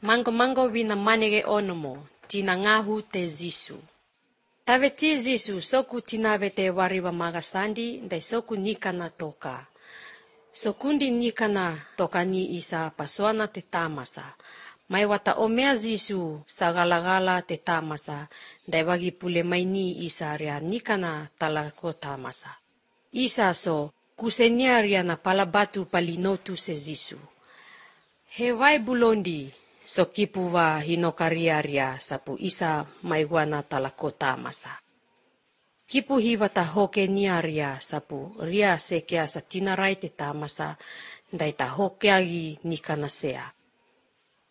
Mango vina manege onomo, tina ngahu te Zisu. Tave ti Zisu, soku tinave te wariwa magasandi, dai soku nikana toka. Sokundi nikana toka ni isa pasoana te tamasa. Mai wata omea Zisu sagalagala te tamasa, dai wagi pule mai ni isa ria nikana talako tamasa. Isa so, kusenia ria na palabatu palinotu se Zisu. Hewai bulondi, so kipu wa hinokaria ria sapu isa maiwana talako tamasa. Kipu hiwata hoke niaria sapu ria sekea sa tinarai te tamasa, dai ta hokeagi nikanasea.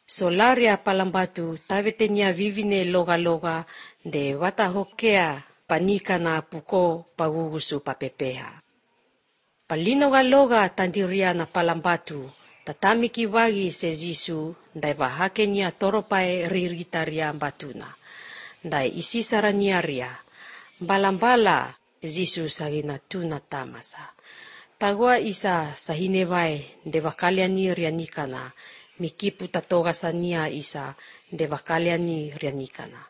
So laria palambatu tavete nia vivine loga de wata hokea panikana puko pagugusu papepeha. Palinoga tandiria na palambatu, tatamiki wagi se Zisu, dai wahake nia toropae riritaria batuna. Dai isisara niaria, balambala Zisu sagina tuna tamasa. Tagua isa sahinewae de wakaliani ria nikana, mikipu tatogasa nia isa de wakaliani ria nikana.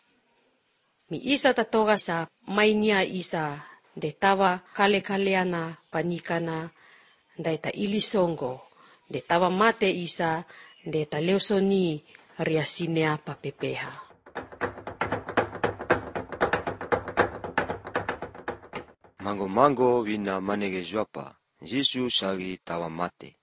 Mi isa tatogasa mainia isa de tawa kale-kaleana panikana, dai ta ilisongo, de tawa mate isa, de ta leosoni ria sinea papepeha. Mango wina manege juapa, Zisu sagi tawa mate.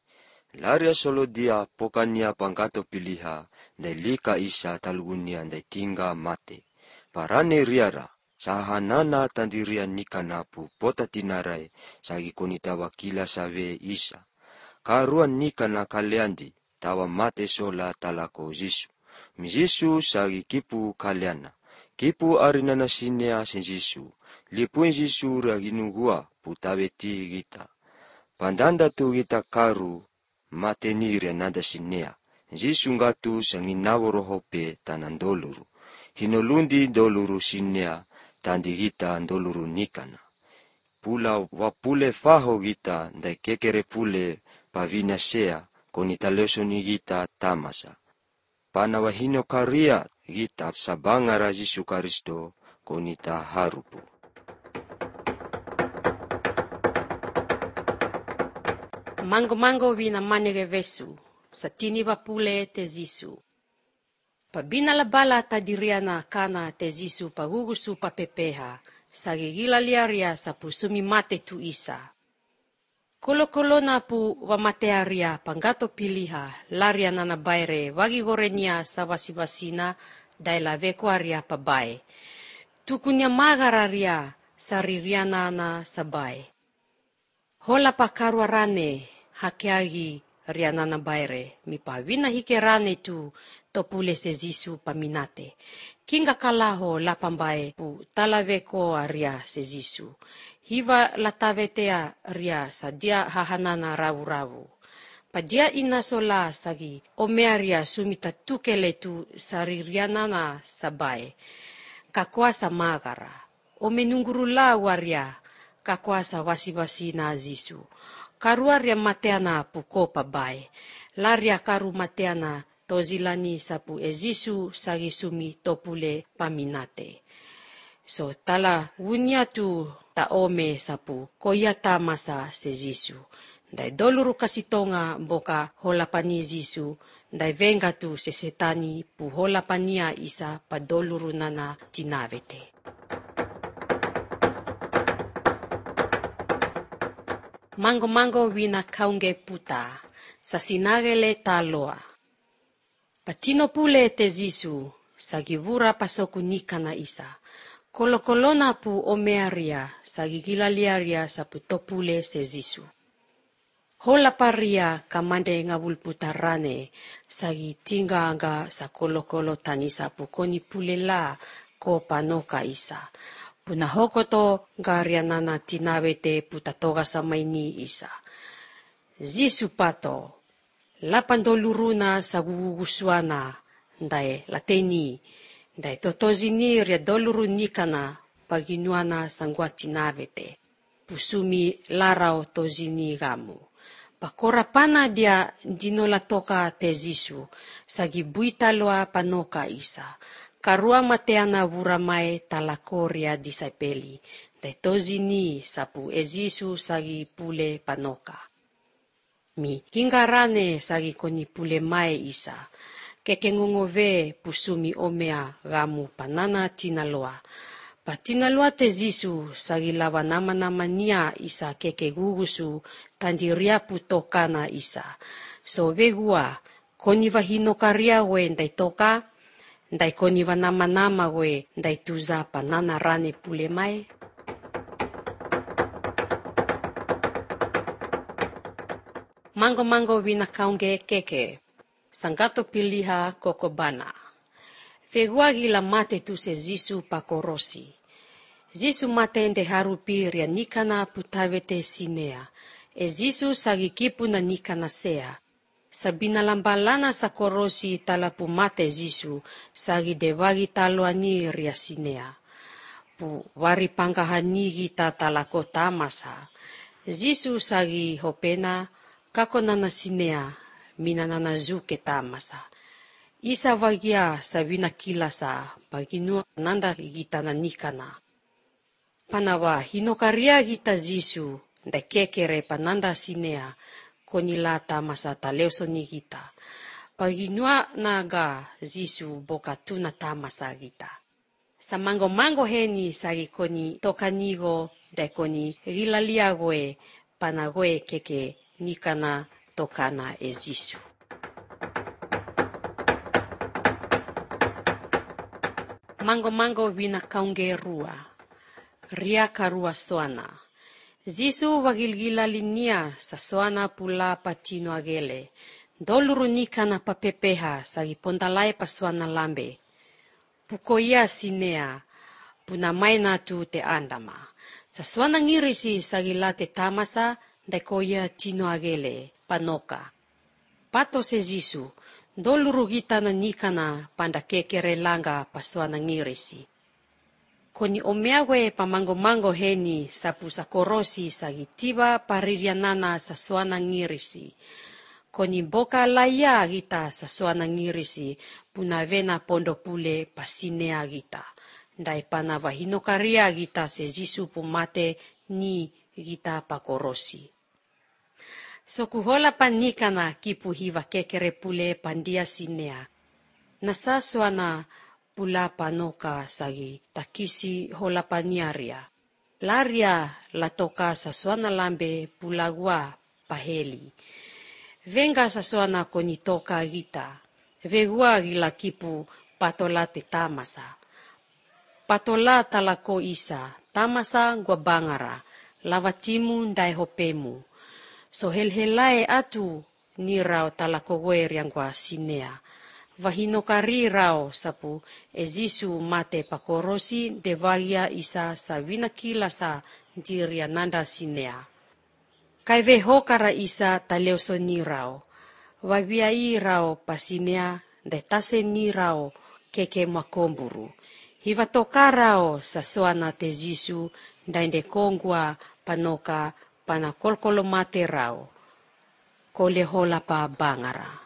Laria solo dia pokania pangkato piliha, dai lika isa talugunia dai tingga mate. Parane riara, sahanana tandiria nikanapu pota tinarai, sagi koni tawa kila save isa. Karuan nikana kaleandi, tawa mate sola talako Zisu. Mi Zisu sagi kipu kaleana. Kipu arinana sinea sen Zisu. Lipuin Zisu raginugua putaweti gita. Pandanda tu gita karu mate nire nada sinea. Zisu ngatu sanginawo rohope tanan doluru. Hinolundi doluru sinea tandi gita doluru nikana. Pula wapule faho gita dai kekere pule pavina sea konita lesoni gita tamasa. Pana wahino karia gita sabangara Zisu Karisto konita harupu. Mango wina manege vesu, satini wapule te Zisu. Pabina labala tadiriana kana te Zisu pagugusu papepeha, sagigila liaria sapu sumi mate tu isa. Kolo-kolona pu wamatearia panggato piliha, laria nana baire wagi gorenia sawasi-wasina daila vekuaria pabae. Tukunya magararia saririana na sabae. Hola pakaruarane hakeagi rianana baire, mipawina hikerane tu topule se Zisu paminate. Kinga kalaho lapambae pu talaveko aria se Zisu. Hiva latavetea ria sadia hahanana rawu-rawu. Padia inasola sagi omearia sumita tukele tu saririanana sabae. Kakuasa magara. Omenunggurula waria kakuasa wasi-wasi na Zisu. Karuaria mateana puko pabae. Laria karu mateana tozilani sapu Zisu sagi sumi topule paminate. So tala wunya tu taome sapu koyata masa se Zisu. Dai doluru kasitonga boka holapani Zisu. Dai venga tu se setani pu holapania isa pa doluru nana tinavete. Mango wina kaunge puta, sasinagele taloa. Patino pule te Zisu, sagivura pasoku nikana isa. Kolo-kolona pu omearia, sagigilaliaria sapu topule se Zisu. Hola paria kamande ngabulputarane, sagi tinga anga sa kolo-kolo tanisa pu koni pule la ko panoka isa. Puna hokoto garianana tinawete putatoga sa maini isa. Zisu pato, lapandoluruna sa gugugusuana, dai lateni, dai totozini ria doluru nikana paginuana sangwa tinawete. Pusumi larao tozini gamu. Pakorapana dia dinola toka te Zisu, sagi buita loa panoka isa. Karua mateana vuramai talakoria disaipeli, te tozi ni sapu Zisu sagi pule panoka. Mi hingarane sagi koni pule mai isa, kekengongove pusumi omea gamu panana tinaloa. Patinaloa te Zisu sagi lawa nama-nama nia isa keke gugusu tandiria putokana isa. So vegua, koni vahinokaria we ndai toka, ndai koni va nama-nama we ndai tuza panana rane pule mai. Mango wina kaunge keke, sangato piliha kokobana. Vegua gila mate tu se Zisu pakorosi. Zisu mate nde harupi ria nikana putavete sinea. Zisu sagi kipu na nikana sea. Sabina lambalana sa korosi talapu mate Zisu sagi devagi taloani ria sinea. Pu wari pangahani gita talako tamasa. Zisu sagi hopena kako nana sinea mina nana zuke tamasa. Isa vagia sabina kilasa baginu nanda gita na nikana. Panawa hinokaria gita Zisu nda kekere pananda sinea konila tamasa taleuso ni gita. Paginua naga Zisu boka tuna tamasa gita. Sa mango heni sagi koni tokanigo da koni gilaliagoe panagoe keke nikana tokana Zisu. Mango wina kaunge rua. Ria karua soana. Zisu wagilgila linia sa soana pula patino agele. Doluru nikana papepeha sagi pondalai pasuana lambe. Pukoia sinea punamai natu te andama. Sa soana ngirisi sagi late tamasa daikoia tino agele panoka. Pato se Zisu. Doluru gita na nikana panda kekere langa pasuana ngirisi. Koni omeawe pamango heni sapu sakorosi sagi tiba paririanana sa soana ngirisi. Koni boka laya gita sa soana ngirisi punavena pondo pule pasinea gita. Ndai panava hinokaria gita se Zisu pumate ni gita pakorosi. Sokuhola panikana kipu hiva kekere pule pandia sinea. Nasa soana pula panoka sagi takisi hola paniaria. Laria latoka sa soana lambe pulagua paheli. Venga sa soana konitoka gita. Vegua gila kipu patola te tamasa. Patola talako isa. Tamasa gua bangara. Lavatimu ndai hopemu. So helhelae atu ni rao talako gueriang gua sinea. Vahinokari rao sapu Zisu mate pakorosi devagia isa sa vinakila sa diria nanda sinea. Kai vehokara isa taleuso ni rao. Vaviai rao pasinea de tase ni rao keke makomburu. Hivatoka rao sa soana te Zisu dainde kongua panoka pana kolkolo mate rao. Kole hola pa bangara.